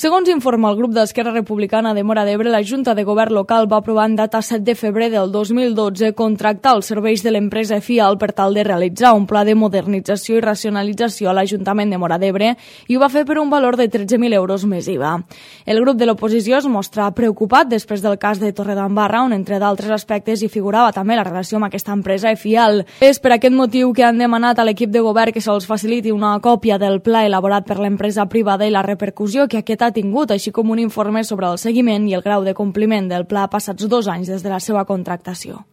Segons informa el grup d'Esquerra Republicana de Móra d'Ebre, la Junta de Govern local va aprovar en data 7 de febrer del 2012 contractar els serveis de l'empresa FIAL per tal de realitzar un pla de modernització i racionalització a l'Ajuntament de Móra d'Ebre i ho va fer per un valor de 13.000 euros més IVA. El grup de l'oposició es mostra preocupat després del cas de Torredembarra, on entre d'altres aspectes hi figurava també la relació amb aquesta empresa FIAL. És per aquest motiu que han demanat a l'equip de govern que se'ls faciliti una còpia del pla elaborat per l'empresa privada i la repercussió que aquest ha tingut, així com un informe sobre el seguiment i el grau de compliment del pla passats 2 anys des de la seva contractació.